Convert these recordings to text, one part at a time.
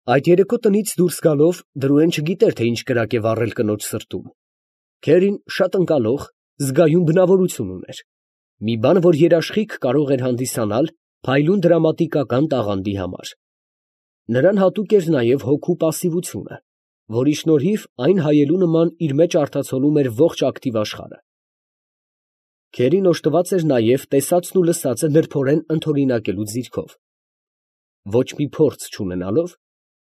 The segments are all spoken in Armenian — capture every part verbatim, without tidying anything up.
Այդ երեկո տնից դուրս գալով Դրուեն չգիտեր, թե ինչ կրակ է վառել կնոջ սրտում. քերին շատ ընկալող, զգայուն բնավորություն ուներ, մի բան, որ երաշխիք կարող էր հանդիսանալ փայլուն դրամատիկական տաղանդի համար. նրան հատուկ էր նաև հոգու պասիվությունը, որի շնորհիվ այն հայելու նման իր մեջ արտացոլում էր ողջ ակտիվ աշխարհը։ Քերին օժտված էր նաև տեսածն ու լսածը նրբորեն ընդօրինակելու ձիրքով։ Ոչ մի փորձ չունենալով,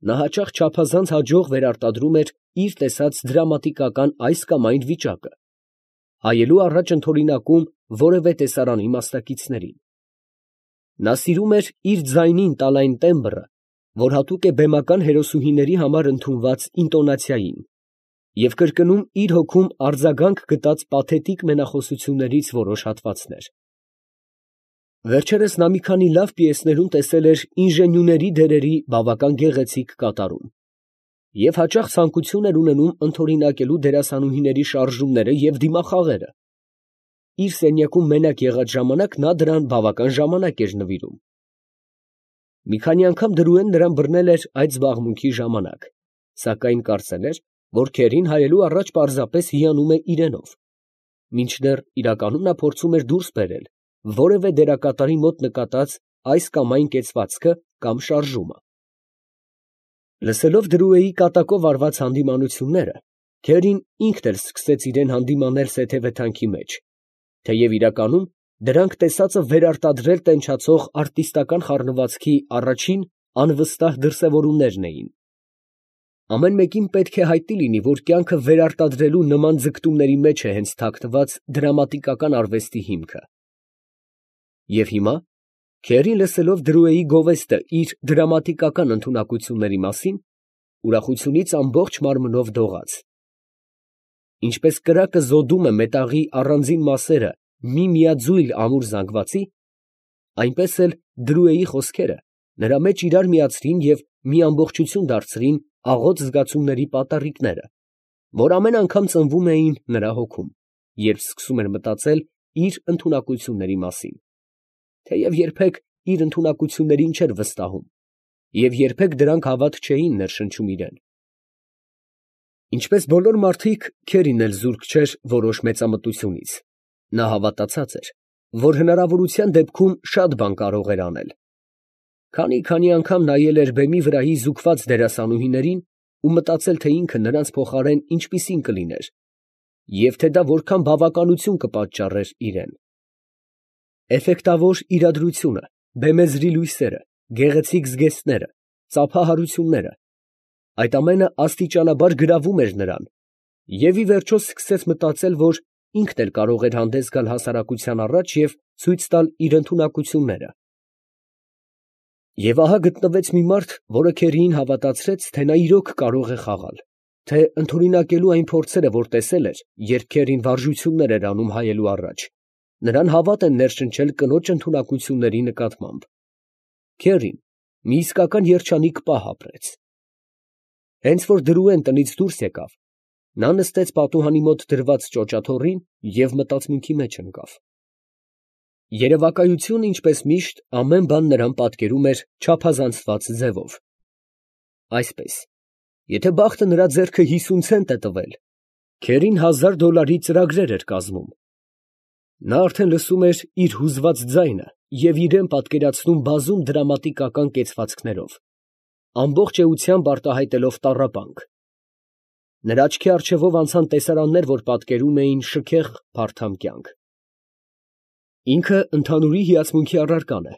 նա հաճախ չափազանց հաջող վերարտադրում էր իր տեսած դրամատիկական այս կամ այն վիճակը, հայելու առաջ ընդօրինակում որևէ տեսարանի մասնակիցներին։ Նա սիրում էր իր ձայնին տալ այն տեմբրը, որ հատուկ է բեմական հերոսուհիների համար ընդունված ինտոնացիային, և կրկնում իր հոգում արձագանք գտած պաթետիկ մենախոսություններից որոշ հատվածներ։ Վերջերս նա մի քանի լավ պիեսներում տեսել էր ինժենյուների դերերի բավական գեղեցիկ կատարում և հաճախ ցանկություն էր ունենում ընդօրինակելու դերասանուհիների շարժումները և դիմախաղերը։ Իր սենյակում մենակ եղած ժամանակ նա դրան բավական ժամանակ էր նվիրում։ Մի քանի անգամ Դրուեն նրան բռնել էր այդ զբաղմունքի ժամանակ, սակայն կարծել էր, որ քերին հայելու առաջ պարզապես հիանում է իրենով, մինչդեռ իրականում նա փորձում էր դուրս բերել որևէ դերակատարի մոտ նկատած այս կամ այն կեցվածքը կամ շարժումը։ Լսելով Դրուեի կատակով արված հանդիմանությունները, քերին ինքն էլ սկսեց իրան հանդիմանել սեթևեթանքի մեջ, թեև իրականում դրանք տեսածը վերարտադրել տենչացող արտիստական խառնվածքի առաջին անվստահ դրսևորումներն էին։ Ամեն մեկին պետք է հայտնի լինի, որ կյանքը վերարտադրելու նման ձգտումների մեջ է հենց թաքնված դրամատիկական արվեստի հիմքը։ Եվ հիմա, քերին լսելով Դրուեի գովեստը իր դրամատիկական ընդունակությունների մասին, ուրախությունից ամբողջ մարմնով դողաց։ Ինչպես կրակը զոդում է մետաղի առանձին մասերը մի միաձույլ ամուր զանգվածի, այնպես էլ Դրուեի խոսքերը նրա մեջ իրար միացրին և մի ամբողջություն դարձրին աղոտ զգացումների պատառիկները, որ ամեն անգամ ծնվում էին նրա հոգում, երբ սկսում էր մտածել իր ընդունակությունների մասին, թեև երբեք իր ընդունակություններին չէր վստահում և երբեք դրանք հավատ չէին ներշնչում իրան։ Ինչպես բոլոր մարդիկ, քերին էլ զուրկ չէր որոշ մեծամտությունից. նա հավատացած էր, որ հնարավորության դեպքում շատ բան կարող էր անել։ Քանի֊քանի անգամ նայել էր բեմի վրայի զուգված դերասանուհիներին ու մտածել, թե ինքը նրանց փոխարեն ինչպիսին կլիներ և թե դա որքան բավականություն կպատճառեր իրան։ Էֆեկտավոր իրադրությունը, բեմեզրի լույսերը, գեղեցիկ զգեստները, ծափահարությունները, այդ ամենը աստիճանաբար գրավում էր նրան, և ի վերջո սկսեց մտածել, որ ինքն էլ կարող էր հանդես գալ հասարակության առաջ և ցույց տալ իր ընդունակությունները։ Եվ ահա գտնվեց մի մարդ, որը քերիին հավատացրեց, թե նա իրոք կարող է խաղալ, թե ընդօրինակելու այն փորձերը, որ տեսել էր, երբ քերին վարժություններ էր անում հայելու առաջ, նրան հավատ են ներշնչել կնոջ ընդունակությունների նկատմամբ։ Քերին մի իսկական երջանիկ պահ ապրեց։ Հենց որ Դրուեն տնից դուրս եկավ, նա նստեց պատուհանի մոտ դրված ճոճաթոռին և մտածմունքի մեջ ընկավ։ Երևակայությունը, ինչպես միշտ, ամեն բան նրան պատկերում էր չափազանցված ձևով։ Այսպես, եթե բախտը նրա ձեռքը հիսուն ցենտ է տվել, քերին հազար դոլարի ծրագրեր էր կազմում։ Նա արդեն լսում էր իր հուզված ձայնը և իրան պատկերացնում բազում դրամատիկական կեցվածքներով, ամբողջ էությամբ արտահայտելով տառապանք։ Նրա աչքի առջևով անցան տեսարաններ, որ պատկերում էին շքեղ փարթամ կյանք։ Ինքը ընդհանուրի հիացմունքի առարկան է,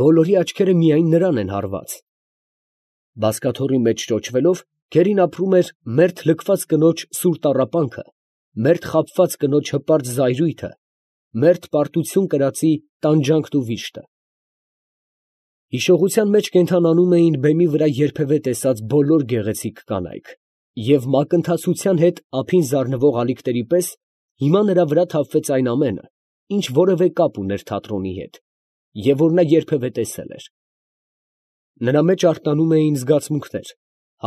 բոլորի աչքերը միայն նրան են հարված։ Բազկաթոռի մեջ ճոճվելով, քերին ապրում էր մերթ լքված կնոջ սուր տառապանքը, մերթ խաբված կնոջ հպարտ զայրույթը, մերթ պարտություն կրածի տանջանքն ու վիշտը։ Հիշողության մեջ կենդանանում էին բեմի վրա երբևէ տեսած բոլոր գեղեցիկ կանայք, և մակընթացության հետ ափին զարնվող ալիքների պես հիմա նրա վրա թափվեց այն ամենը, ինչ որևէ կապ ուներ թատրոնի հետ, և որ նա երբևէ տեսել էր։ Նրա մեջ արթնանում էին զգացմունքներ,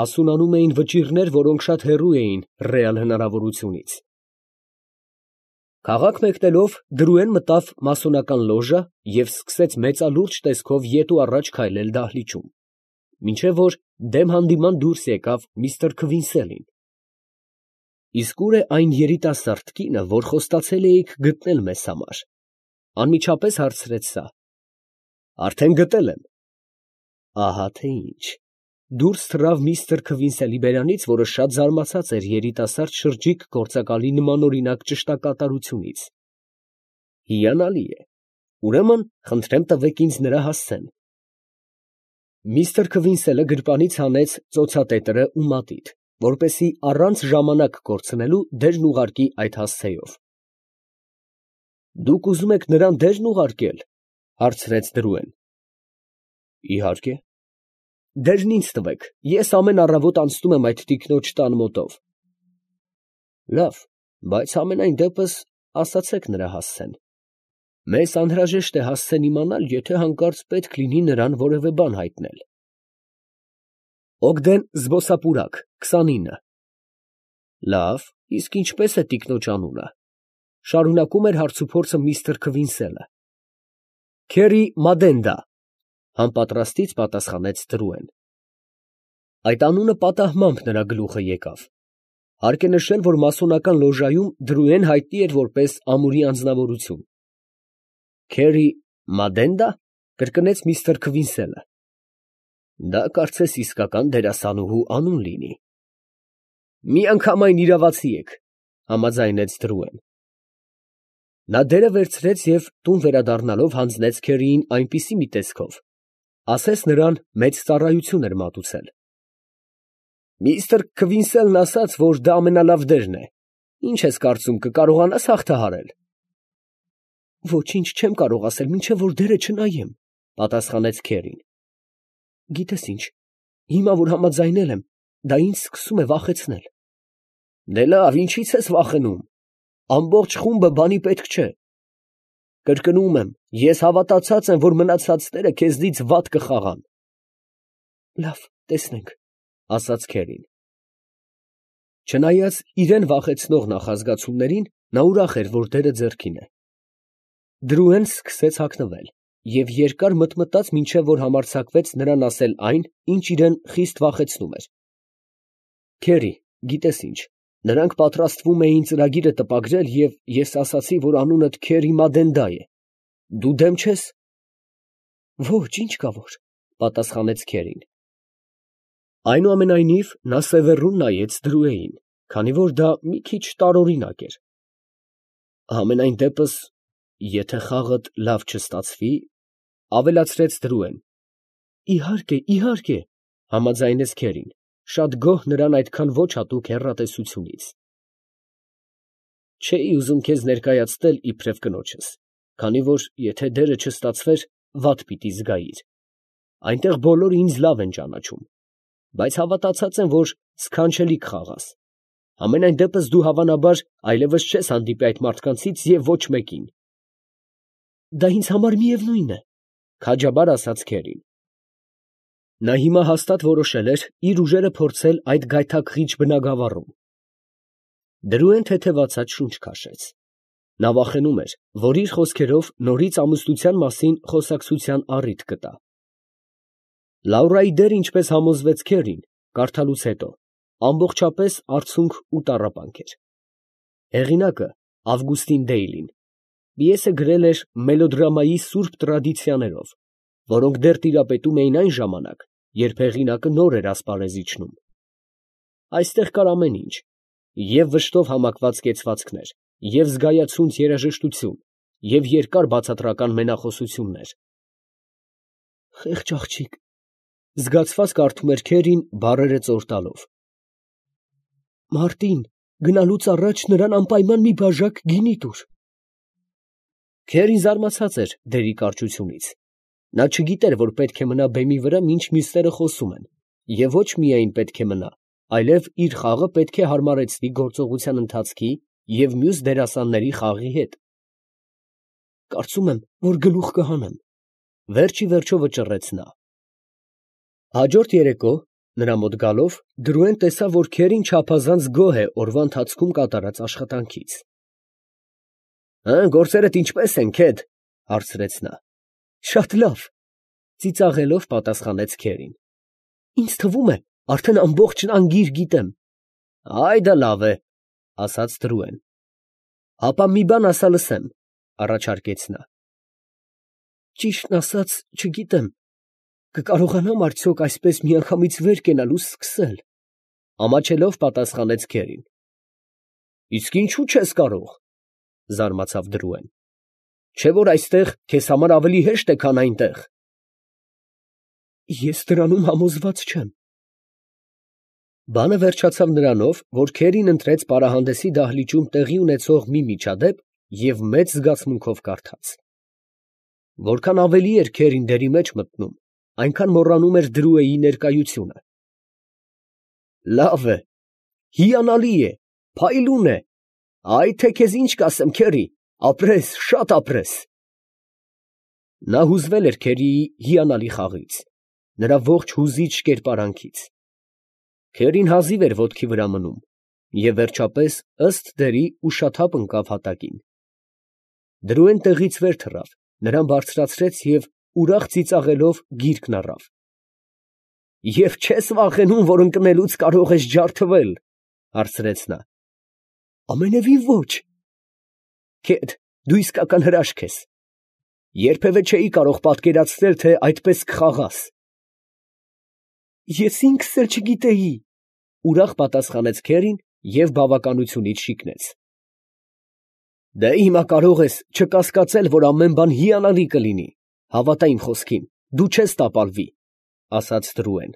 հասունանում էին վճիռներ, որոնք շատ հեռու էին ռեալ հնարավորությունից։ Քաղաք մեկնելով, Դրուեն մտավ մասոնական լոժա և սկսեց մեծալուրջ տեսքով ետ ու առաջ քայլել դահլիճում։ մինչև որ դեմ հանդիման դուրս եկավ միստր Քվինսելին։ Իսկ ո՞ւր է այն երիտասարդ կինը, որ խոստացել էիք գտնել մեզ համար, ֊ անմիջապես հարցրեց սա։ ֊ Արդեն գտել եմ։ ֊ Ահա թե ինչ։ Դուրս թռավ միստր Քվինսելի բերանից, որը շատ զարմացած էր երիտասարդ շրջիկ գործակալի նմանօրինակ ճշտակատարությունից։ ֊ Հիանալի է, ուրեմն խնդրեմ տվեք ինձ նրա հասցեն։ Միստր Քվինսելը գրպանից հանեց ծոցատետրը ու մատիտ, որպեսզի առանց ժամանակ կորցնելու դերն ուղարկի այդ հասցեով։ ֊ Դուք ուզում եք նրան դե՞րն ուղարկել, ֊ հարցրեց Դրուեն։ ֊ Իհարկե։ ֊ Դերն ինձ տվեք, ես ամեն առավոտ անցնում եմ այդ տիկնոջ տան մոտով։ ֊ Լավ, բայց համենայն դեպս ասացեք նրա հասցեն։ Մեզ անհրաժեշտ է հասցեն իմանալ, եթե հանկարծ պետք լինի նրան որևէ բան հայտնել։ Օգդեն Զբոսապուրակ, քսանինը։ Լավ, իսկ ինչպե՞ս է տիկնոջ անունը, ֊ շարունակում էր հարցուփորձը միստր Քվինսելը։ Քերի Մադենդա, ֊ համապատրաստից պատասխանեց Դրուեն։ Այդ անունը պատահմամբ նրա գլուխը եկավ։ Հարկ է նշել, որ մասոնական լոժայում Դրուեն հայտնի էր որպես ամուրի անձնավորություն։ Քերի Մադենդա, ֊ կրկնեց միստր Քվինսելը։ Դա կարծես իսկական դերասանուհու անուն լինի։ Միանգամայն իրավացի եք, ֊ համաձայնեց Դրուեն։ Նա դերը վերցրեց և տուն վերադառնալով հանձնեց Քերիին այնպիսի մի տեսքով, ասես նրան մեծ ծառայություն էր մատուցել։ Միստր Քվինսելն ասաց, որ դա ամենալավ դերն է, ի՞նչ ես կարծում, կկարողանա՞ս հաղթահարել։ Ոչինչ չեմ կարող ասել, մինչև որ դերը չնայեմ, ֊ պատասխանեց Քերին։ Գիտես ինչ, հիմա որ համաձայնել եմ, դա ինձ սկսում է վախեցնել։ Դե լավ, ինչի՞ց ես վախենում, ամբողջ խումբը բանի պետք չէ։ Կրկնում եմ, ես հավատացած եմ, որ մնացածները քեզնից վատ կխաղան։ Լավ, տեսնենք, ֊ ասաց Քերին։ Չնայած իրան վախեցնող նախազգացումներին, նա ուրախ էր, որ դերը ձեռքին է։ Դրուեն սկսեց հագնվել և երկար մտմտաց, մինչև որ համարձակվեց նրան ասել այն, ինչ իրան խիստ վախեցնում էր։ Քերի, գիտես ինչ, նրանք պատրաստվում էին ծրագիրը տպագրել, և ես ասացի, որ անունդ Քերի Մադենդա է։ Դու դեմ չե՞ս։ Ոչ, ինչ կա որ, ֊ պատասխանեց Քերին։ Այնուամենայնիվ, նա սևեռուն նայեց Դրուեին, քանի որ դա մի քիչ տարօրինակ էր։ Համենայն դեպս, եթե խաղդ լավ չստացվի, ֊ ավելացրեց Դրուեն։ Իհարկե, իհարկե, ֊ համաձայնեց Քերին, շատ գոհ նրան այդքան ոչ հատուկ հեռատեսությունից։ Չէի ուզում քեզ ներկայացնել իբրև կնոջս, քանի որ եթե դերը չստացվեր, վատ պիտի զգայիր։ Այնտեղ բոլորը ինձ լավ են ճանաչում, բայց հավատացած եմ, որ սքանչելի կխաղաս։ Համենայն դեպս դու հավանաբար այլևս չես հանդիպի այդ մարդկանցից և ոչ մեկին։ Դա ինձ համար միևնույն է, ֊ քաջաբար ասաց Քերին։ Նա հիմա հաստատ որոշել էր իր ուժերը փորձել այդ գայթակղիչ բնագավառում։ Դրուեն թեթևացած շունչ քաշեց։ Նա վախենում էր, որ իր խոսքերով նորից ամուսնության մասին խոսակցության առիթ կտա։ Լաուրայի դերը, ինչպես համոզվեց Քերին, կարդալուց հետո, ամբողջապես արցունք ու տառապանք էր։ Հեղինակը Ավգուստին Դեյլին պիեսը գրել էր մելոդրամայի սուրբ տրադիցիաներով, որոնք դեռ տիրապետում էին այն ժամանակ, երբ հեղինակը նոր էր ասպարեզ իջնում։ Այստեղ կար ամեն ինչ, և վշտով համակված կեցվածքներ, և զգայացունց երաժշտություն, և երկար բացատրական մենախոսություններ։ Խեղճ աղջիկ, ֊ զգացված կարդում էր Քերին, բառերը ծոր տալով։ Մարտին գնալուց առաջ նրան անպայման մի բաժակ գինի տուր։ Քերին զարմացած էր դերի կարճությունից։ Նա չգիտեր, որ պետք է մնա բեմի վրա, մինչ մյուսները խոսում են, և ոչ միայն պետք է մնա, այլև իր խաղը պետք է հարմարեցնի գործողության ընթացքի և մյուս դերասանների խաղի հետ։ Կարծում եմ, որ գլուխ կհանեմ, ֊ վերջ ի վերջո վճռեց նա։ Հաջորդ երեկո, նրա մոտ գալով, Դրուեն տեսավ, որ Քերին չափազանց գոհ է օրվա ընթացքում կատարած աշխատանքից։ ֊ Գործերդ ինչպե՞ս են, Քեդ, ֊ հարցրեց նա։ ֊ Շատ լավ, ֊ ծիծաղելով պատասխանեց Քերին։ Ինձ թվում է, արդեն ամբողջ անգիր գիտեմ։ Այ դա լավ է, ասաց Տրուեն։ Ապա մի բան ասա լսեմ, առաջարկեց նա։ Ճիշտն ասած, չգիտեմ, կկարողանամ արդյոք այսպես միանգամից վեր կենալ ու սկսել, ամաչելով պատասխանեց քերին։ Իսկ ինչու չես կարող, զարմացավ Դրուեն։ Չէ՞ որ այստեղ քեզ համար ավելի հեշտ է, քան այնտեղ։ Ես դրանում համոզված չեմ։ Բանը վերջացավ նրանով, որ քերին ընտրեց պարահանդեսի դահլիճում տեղի ունեցող մի միջադեպ և մեծ զգացմունքով կարդաց։ Որքան ավելի էր քերին դերի մեջ մտնում, այնքան մոռանում էր Դրուեի ներկայությունը։ Լավ է, հիանալի է, փայլուն է, այ թե քեզ ինչ կասեմ, քերի, ապրես, շատ ապրես։ Նա հուզվել էր քերիի հիանալի խաղից, նրա ողջ հուզիչ կերպարանքից։ Քերին հազիվ էր ոտքի վրա մնում, և վերջապես, ըստ դերի, ուշաթափ ընկավ հատակին։ Դրուեն տեղից վեր թռավ, նրան բարձրացրեց և ուրախ ծիծաղելով գիրկն առավ։ Եվ չե՞ս վախենում, որ ընկնելուց կարող ես ջարդվել, հարցրեց նա։ Ամենևին ոչ։ Քեդ, դու իսկական հրաշք ես։ Երբևէ չէի կարող պատկերացնել, թե այդպես կխաղաս։ Ես ինքս էլ չգիտեի, ուրախ պատասխանեց քերին և բավականությունից շիկնեց։ Դե հիմա կարող ես չկասկածել, որ ամեն բան հիանալի կլինի, հավատա իմ խոսքին, դու չես տապալվի, ասաց Տրուեն։